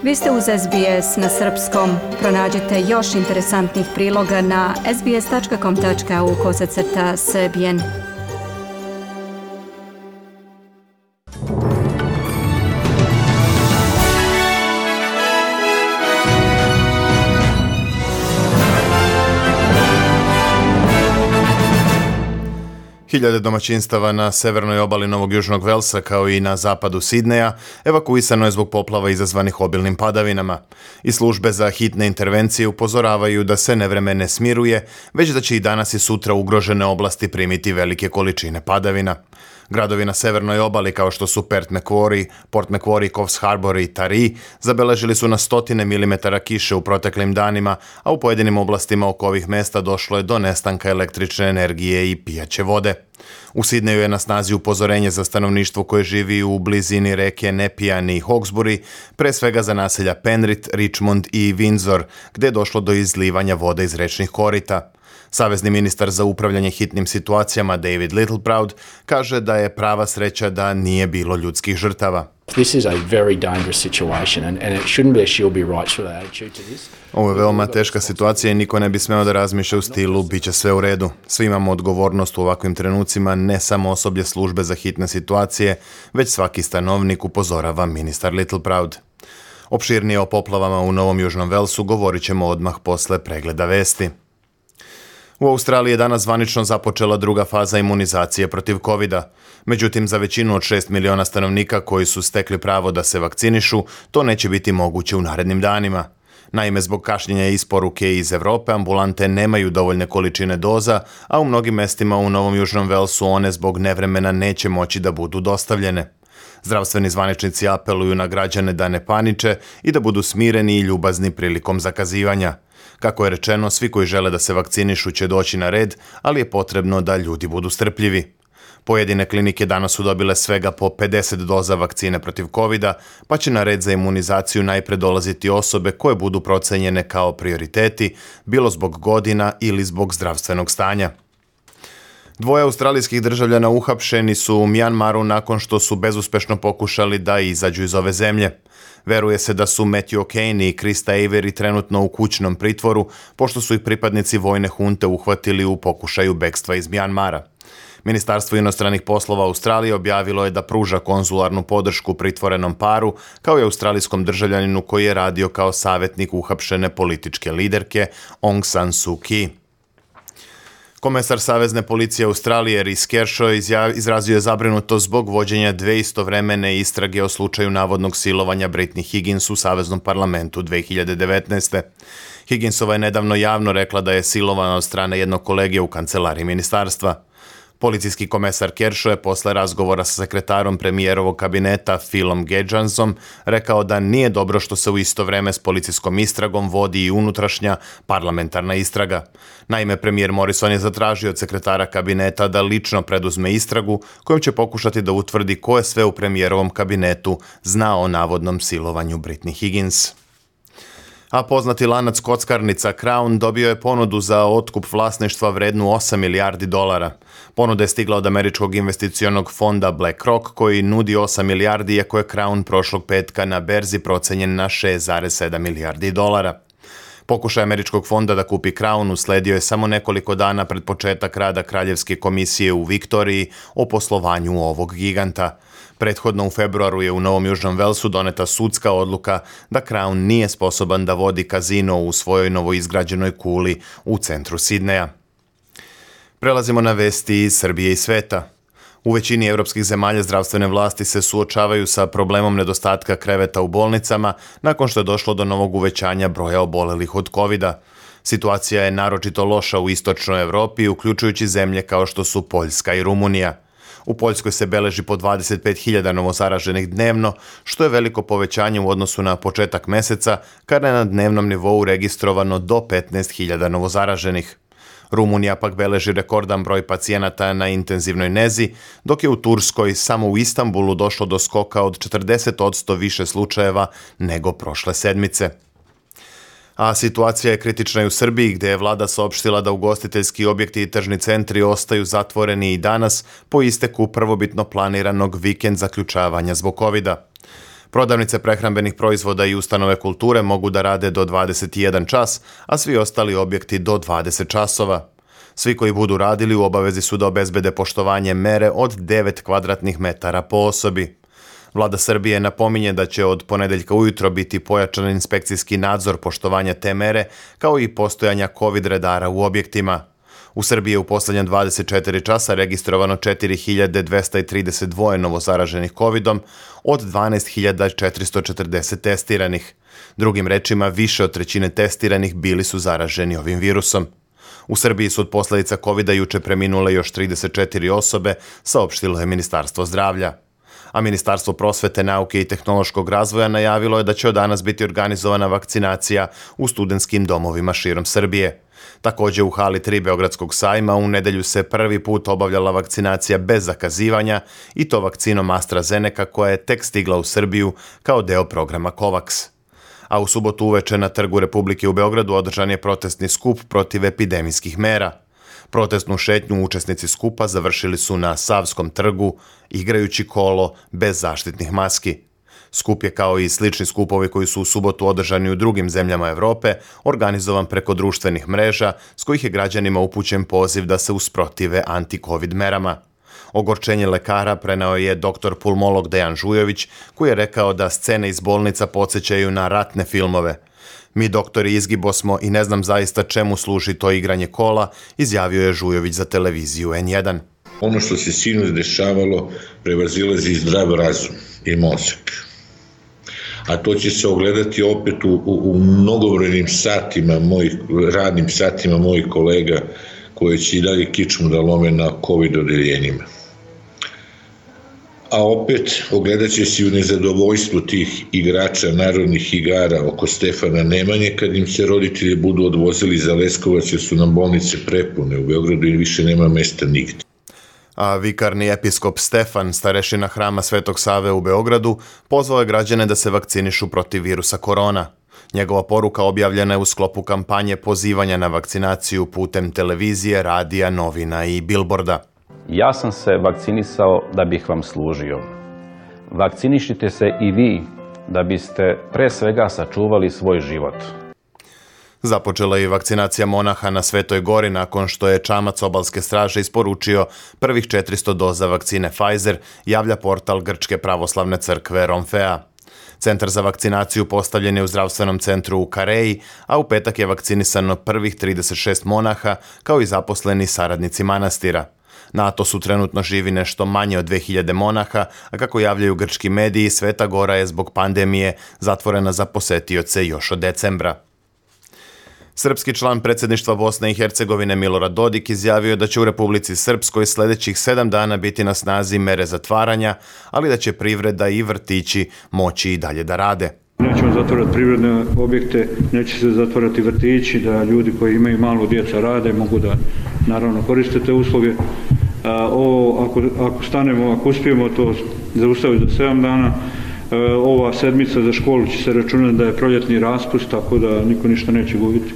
Vi ste uz SBS na srpskom. Pronađite još interesantnih priloga na sbs.com.au/srbijen. Hiljade domaćinstava na severnoj obali Novog Južnog Velsa kao i na zapadu Sidneja evakuisano je zbog poplava izazvanih obilnim padavinama. I službe za hitne intervencije upozoravaju da se nevreme ne smiruje, već da će i danas i sutra ugrožene oblasti primiti velike količine padavina. Gradovi na severnoj obali kao što su Port Macquarie, Coffs Harbour i Taree zabeležili su na stotine milimetara kiše u proteklim danima, a u pojedinim oblastima oko ovih mesta došlo je do nestanka električne energije i pijaće vode. U Sidneju je na snazi upozorenje za stanovništvo koje živi u blizini reke Nepean i Hawkesbury, pre svega za naselja Penrith, Richmond i Windsor, gde je došlo do izlivanja vode iz rečnih korita. Savezni ministar za upravljanje hitnim situacijama David Littleproud kaže da je prava sreća da nije bilo ljudskih žrtava. This is a very dangerous situation and it shouldn't be a she'll be right sort of attitude to this. Ovo je veoma teška situacija i niko ne bi smeo da razmišlja u stilu biće sve u redu. Svi imamo odgovornost u ovakvim trenucima, ne samo osoblje službe za hitne situacije, već svaki stanovnik, upozorava ministar Littleproud. Opširnije o poplavama u Novom Južnom Velsu govorit ćemo odmah posle pregleda vesti. U Australiji je danas zvanično započela druga faza imunizacije protiv COVID-a. Međutim, za većinu od 6 miliona stanovnika koji su stekli pravo da se vakcinišu, to neće biti moguće u narednim danima. Naime, zbog kašnjenja isporuke iz Evrope, ambulante nemaju dovoljne količine doza, a u mnogim mestima u Novom Južnom Velsu one zbog nevremena neće moći da budu dostavljene. Zdravstveni zvaničnici apeluju na građane da ne paniče i da budu smireni i ljubazni prilikom zakazivanja. Kako je rečeno, svi koji žele da se vakcinišu će doći na red, ali je potrebno da ljudi budu strpljivi. Pojedine klinike danas su dobile svega po 50 doza vakcine protiv COVID-a, pa će na red za imunizaciju najpre dolaziti osobe koje budu procenjene kao prioriteti, bilo zbog godina ili zbog zdravstvenog stanja. 2 australijskih državljana uhapšeni su u Mjanmaru nakon što su bezuspešno pokušali da izađu iz ove zemlje. Veruje se da su Matthew O'Kane i Krista Avery trenutno u kućnom pritvoru, pošto su ih pripadnici vojne hunte uhvatili u pokušaju bekstva iz Mjanmara. Ministarstvo inostranih poslova Australije objavilo je da pruža konzularnu podršku pritvorenom paru, kao i australijskom državljaninu koji je radio kao savjetnik uhapšene političke liderke Aung San Suu Kyi. Komesar Savezne policije Australije Rhys Kershaw izrazio je zabrinutost zbog vođenja 2 istovremene istrage o slučaju navodnog silovanja Britney Higgins u Saveznom parlamentu 2019. Higginsova je nedavno javno rekla da je silovana od strane jednog kolege u kancelariji ministarstva. Policijski komesar Kershaw je posle razgovora sa sekretarom premijerovog kabineta Philom Gedjansom rekao da nije dobro što se u isto vreme s policijskom istragom vodi i unutrašnja parlamentarna istraga. Naime, premijer Morrison je zatražio od sekretara kabineta da lično preduzme istragu kojom će pokušati da utvrdi ko je sve u premijerovom kabinetu znao o navodnom silovanju Britney Higgins. A poznati lanac kockarnica Crown dobio je ponudu za otkup vlasništva vrednu $8 milijardi. Ponuda je stigla od američkog investicionog fonda BlackRock koji nudi 8 milijardi, iako je Crown prošlog petka na berzi procenjen na $6,7 milijardi. Pokušaj američkog fonda da kupi Crown usledio je samo nekoliko dana pred početak rada Kraljevske komisije u Viktoriji o poslovanju ovog giganta. Prethodno u februaru je u Novom Južnom Velsu doneta sudska odluka da Crown nije sposoban da vodi kazino u svojoj novoizgrađenoj kuli u centru Sidneja. Prelazimo na vesti iz Srbije i sveta. U većini evropskih zemalja zdravstvene vlasti se suočavaju sa problemom nedostatka kreveta u bolnicama nakon što je došlo do novog uvećanja broja obolelih od COVID-a. Situacija je naročito loša u istočnoj Evropi, uključujući zemlje kao što su Poljska i Rumunija. U Poljskoj se beleži po 25.000 novozaraženih dnevno, što je veliko povećanje u odnosu na početak meseca, kada je na dnevnom nivou registrovano do 15.000 novozaraženih. Rumunija pak beleži rekordan broj pacijenata na intenzivnoj nezi, dok je u Turskoj samo u Istanbulu došlo do skoka od 40% više slučajeva nego prošle sedmice. A situacija je kritična i u Srbiji, gdje je vlada saopštila da ugostiteljski objekti i tržni centri ostaju zatvoreni i danas po isteku prvobitno planiranog vikend zaključavanja zbog COVID-a. Prodavnice prehrambenih proizvoda i ustanove kulture mogu da rade do 21 čas, a svi ostali objekti do 20 časova. Svi koji budu radili u obavezi su da obezbede poštovanje mere od 9 kvadratnih metara po osobi. Vlada Srbije napominje da će od ponedeljka ujutro biti pojačan inspekcijski nadzor poštovanja te mere, kao i postojanja COVID redara u objektima. U Srbiji je u poslednja 24 časa registrovano 4232 novozaraženih COVID-om od 12440 testiranih. Drugim rečima, više od trećine testiranih bili su zaraženi ovim virusom. U Srbiji su od posledica COVID-a juče preminule još 34 osobe, saopštilo je Ministarstvo zdravlja. A Ministarstvo prosvete, nauke i tehnološkog razvoja najavilo je da će od danas biti organizovana vakcinacija u studentskim domovima širom Srbije. Također u hali 3 Beogradskog sajma u nedelju se prvi put obavljala vakcinacija bez zakazivanja i to vakcinom AstraZeneca koja je tek stigla u Srbiju kao deo programa COVAX. A u subotu uveče na Trgu Republike u Beogradu održan je protestni skup protiv epidemijskih mera. Protestnu šetnju učesnici skupa završili su na Savskom trgu, igrajući kolo bez zaštitnih maski. Skup je kao i slični skupovi koji su u subotu održani u drugim zemljama Evrope, organizovan preko društvenih mreža s kojih je građanima upućen poziv da se usprotive anti-covid merama. Ogorčenje lekara preneo je doktor pulmolog Dejan Žujović, koji je rekao da scene iz bolnica podsjećaju na ratne filmove. Mi doktori izgibo smo i ne znam zaista čemu služi to igranje kola, izjavio je Žujović za televiziju N1. Ono što se sinoć dešavalo prevazilazi zdrav razum i mozak. A to će se ogledati opet u mnogobrojnim radnim satima mojih kolega koji će i dalje kičmu da lome na COVID odeljenjima. A opet ogledat će se u nezadovoljstvu tih igrača narodnih igara oko Stefana Nemanje kad im se roditelji budu odvozili za Leskovac jer su nam bolnice prepune u Beogradu i više nema mesta nigde. A vikarni episkop Stefan, starešina hrama Svetog Save u Beogradu, pozvao je građane da se vakcinišu protiv virusa korona. Njegova poruka objavljena je u sklopu kampanje pozivanja na vakcinaciju putem televizije, radija, novina i bilborda. Ja sam se vakcinisao da bih vam služio. Vakcinišite se i vi da biste pre svega sačuvali svoj život. Započela je i vakcinacija monaha na Svetoj Gori nakon što je čamac obalske straže isporučio prvih 400 doza vakcine Pfizer, javlja portal Grčke pravoslavne crkve Romfea. Centar za vakcinaciju postavljen je u zdravstvenom centru u Kareji, a u petak je vakcinisano prvih 36 monaha kao i zaposleni saradnici manastira. Na Atosu trenutno živi nešto manje od 2000 monaha, a kako javljaju grčki mediji, Sveta Gora je zbog pandemije zatvorena za posetioce još od decembra. Srpski član predsjedništva Bosne i Hercegovine Milorad Dodik izjavio da će u Republici Srpskoj sljedećih 7 dana biti na snazi mere zatvaranja, ali da će privreda i vrtići moći i dalje da rade. Nećemo zatvarati privredne objekte, neće se zatvarati vrtići, da ljudi koji imaju malo djeca rade mogu da naravno koriste te usluge. Ako stanemo, ako uspijemo to zaustaviti za 7 dana, ova sedmica za školu će se računati da je proljetni raspust, tako da niko ništa neće gubiti.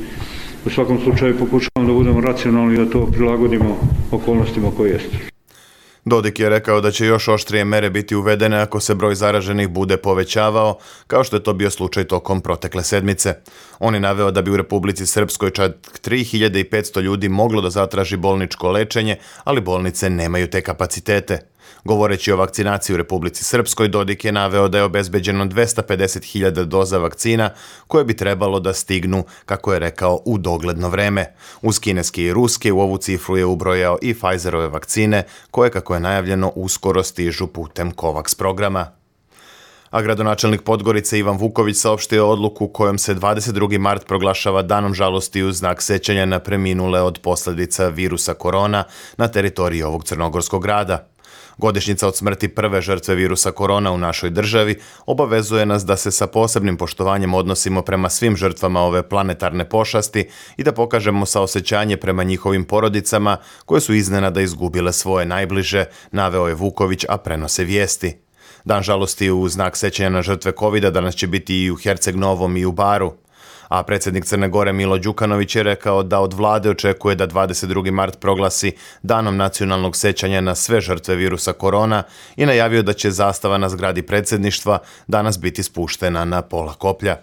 U svakom slučaju pokušavamo da budemo racionalni i da to prilagodimo okolnostima koje jeste. Dodik je rekao da će još oštrije mere biti uvedene ako se broj zaraženih bude povećavao, kao što je to bio slučaj tokom protekle sedmice. On je naveo da bi u Republici Srpskoj čak 3500 ljudi moglo da zatraži bolničko lečenje, ali bolnice nemaju te kapacitete. Govoreći o vakcinaciji u Republici Srpskoj, Dodik je naveo da je obezbeđeno 250.000 doza vakcina koje bi trebalo da stignu, kako je rekao, u dogledno vreme. Uz kineske i ruske u ovu cifru je ubrojao i Pfizerove vakcine, koje, kako je najavljeno, uskoro stižu putem COVAX programa. A gradonačelnik Podgorice Ivan Vuković saopštio odluku kojom se 22. mart proglašava danom žalosti u znak sećanja na preminule od posljedica virusa korona na teritoriji ovog crnogorskog grada. Godišnjica od smrti prve žrtve virusa korona u našoj državi obavezuje nas da se sa posebnim poštovanjem odnosimo prema svim žrtvama ove planetarne pošasti i da pokažemo saosećanje prema njihovim porodicama koje su iznenada izgubile svoje najbliže, naveo je Vuković, a prenose vijesti. Dan žalosti u znak sećanja na žrtve covida danas će biti i u Herceg Novom i u Baru. A predsjednik Crne Gore Milo Đukanović je rekao da od vlade očekuje da 22. mart proglasi danom nacionalnog sećanja na sve žrtve virusa korona i najavio da će zastava na zgradi predsjedništva danas biti spuštena na pola koplja.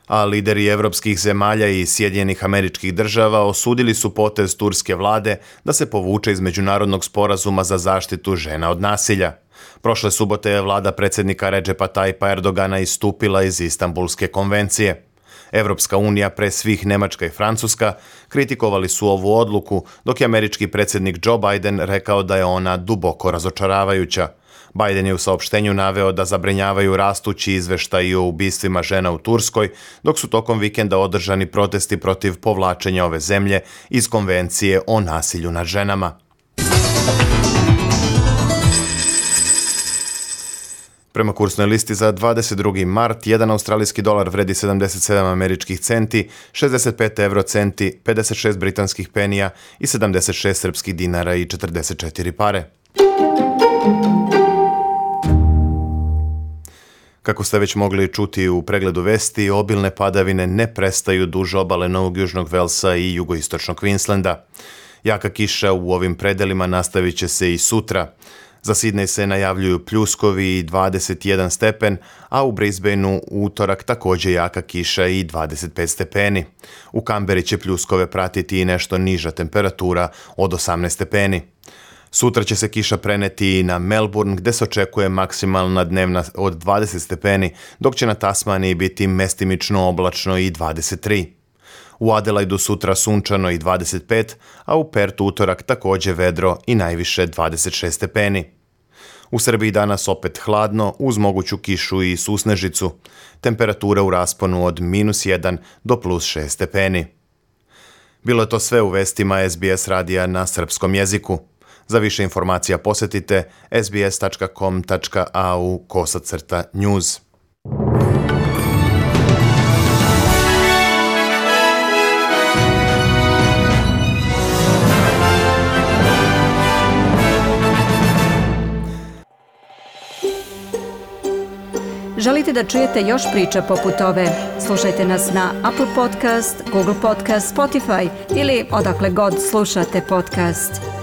A lideri evropskih zemalja i Sjedinjenih Američkih Država osudili su potez turske vlade da se povuče iz međunarodnog sporazuma za zaštitu žena od nasilja. Prošle subote je vlada predsjednika Redžepa Tajpa Erdogana istupila iz Istanbulske konvencije. Evropska unija, pre svih Nemačka i Francuska, kritikovali su ovu odluku, dok je američki predsjednik Joe Biden rekao da je ona duboko razočaravajuća. Biden je u saopštenju naveo da zabrinjavaju rastući izveštaji o ubistvima žena u Turskoj, dok su tokom vikenda održani protesti protiv povlačenja ove zemlje iz konvencije o nasilju nad ženama. Prema kursnoj listi za 22. mart, jedan australijski dolar vredi 77 američkih centi, 65 eurocenti, 56 britanskih penija i 76 srpskih dinara i 44 pare. Kako ste već mogli čuti u pregledu vesti, obilne padavine ne prestaju duž obale Novog Južnog Velsa i jugoistočnog Queenslanda. Jaka kiša u ovim predelima nastavit će se i sutra. Za Sidney se najavljuju pljuskovi i 21 stepen, a u Brisbaneu utorak također jaka kiša i 25 stepeni. U Kamberi će pljuskove pratiti i nešto niža temperatura od 18 stepeni. Sutra će se kiša preneti i na Melbourne, gde se očekuje maksimalna dnevna od 20 stepeni, dok će na Tasmaniji biti mestimično oblačno i 23. U Adelaidu sutra sunčano i 25, a u Pertu utorak također vedro i najviše 26 stepeni. U Srbiji danas opet hladno, uz moguću kišu i susnežicu. Temperatura u rasponu od -1 do +6 stepeni. Bilo je to sve u vestima SBS radija na srpskom jeziku. Za više informacija posjetite sbs.com.au/news. Želite da čujete još priča poput ove? Slušajte nas na Apple Podcast, Google Podcast, Spotify ili odakle god slušate podcast.